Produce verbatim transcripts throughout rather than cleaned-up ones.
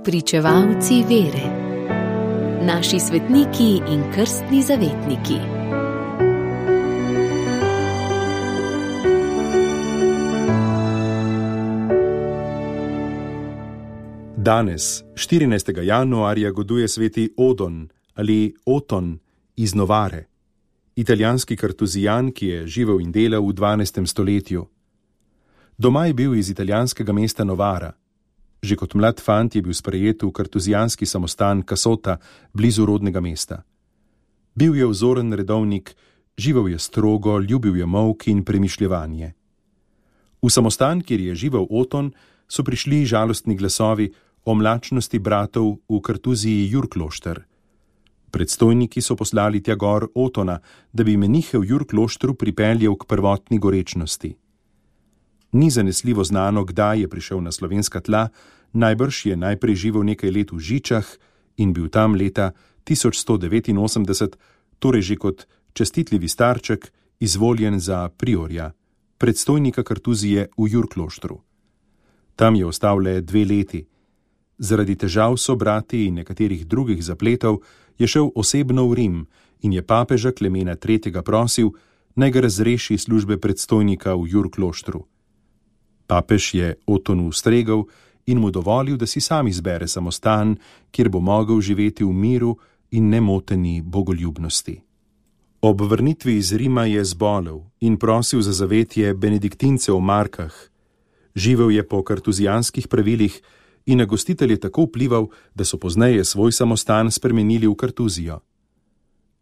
Pričevalci vere. Naši svetniki in krstni zavetniki. Danes, štirinajstega januarja, goduje sveti Odon ali Oton iz Novare, italijanski kartuzijan, ki je živel in delal v dvanajstem stoletju. Doma je bil iz italijanskega mesta Novara. Že kot mlad fant je bil sprejet v kartuzijanski samostan Casota, blizu rodnega mesta. Bil je vzoren redovnik, živel je strogo, ljubil je molk in premišljevanje. V samostan, kjer je živel Oton, so prišli žalostni glasovi o mlačnosti bratov v Kartuziji Jurklošter. Predstojniki so poslali tja gor Otona, da bi menihe v Jurkloštru pripeljal k prvotni gorečnosti. Ni zanesljivo znano, kdaj je prišel na slovenska tla, najbrž je najprej živel nekaj let v Žičah in bil tam leta tisoč sto devetinosemdeset, torej že kot čestitljivi starček, izvoljen za priorja, predstojnika Kartuzije v Jurkloštru. Tam je ostal le dve leti. Zaradi težav s sobrati in nekaterih drugih zapletov je šel osebno v Rim in je papeža Klemena tretjega prosil, naj ga razreši službe predstojnika v Jurkloštru. Papež je Otonu ustregel in mu dovolil, da si sam izbere samostan, kjer bo mogel živeti v miru in nemoteni bogoljubnosti. Ob vrnitvi iz Rima je zbolel in prosil za zavetje benediktincev v Markah. Živel je po kartuzijanskih pravilih in na gostitelje tako vplival, da so pozneje svoj samostan spremenili v Kartuzijo.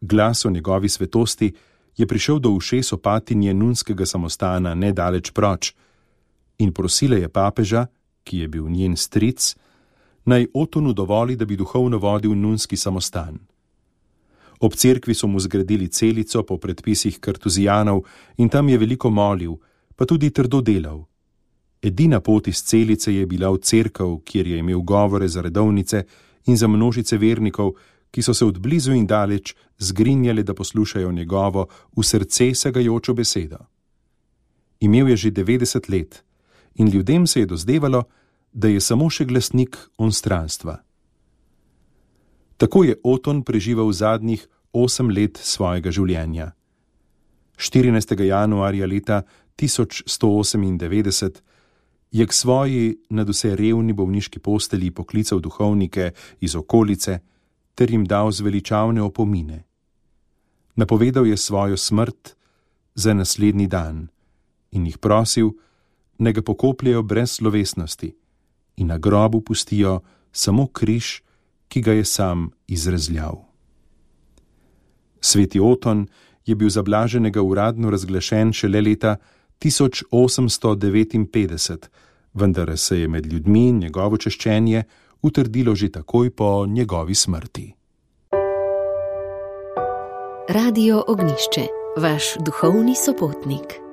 Glas o njegovi svetosti je prišel do ušes opatinje nunskega samostana nedaleč proč in prosila je papeža, ki je bil njen stric, naj Otonu dovoli, da bi duhovno vodil nunski samostan. Ob cerkvi so mu zgradili celico po predpisih kartuzijanov in tam je veliko molil, pa tudi trdo delal. Edina pot iz celice je bila v cerkev, kjer je imel govore za redovnice in za množice vernikov, ki so se od blizu in daleč zgrinjali, da poslušajo njegovo v srce segajočo besedo. Imel je že devetdeset let in ljudem se je dozdevalo, da je samo še glasnik onstranstva. Tako je Oton preživel zadnjih osem let svojega življenja. štirinajstega januarja leta tisoč sto osemindevetdeset je k svoji nadvse revni bolniški postelji poklical duhovnike iz okolice ter jim dal zveličavne opomine. Napovedal je svojo smrt za naslednji dan in jih prosil, naj ga pokopljejo brez slovesnosti in na grobu pustijo samo križ, ki ga je sam izrezljal. Sveti Oton je bil za blaženega uradno razglašen šele leta tisoč osemsto devetinpetdeset, vendar se je med ljudmi njegovo češčenje utrdilo že takoj po njegovi smrti. Radio Ognjišče, vaš duhovni sopotnik.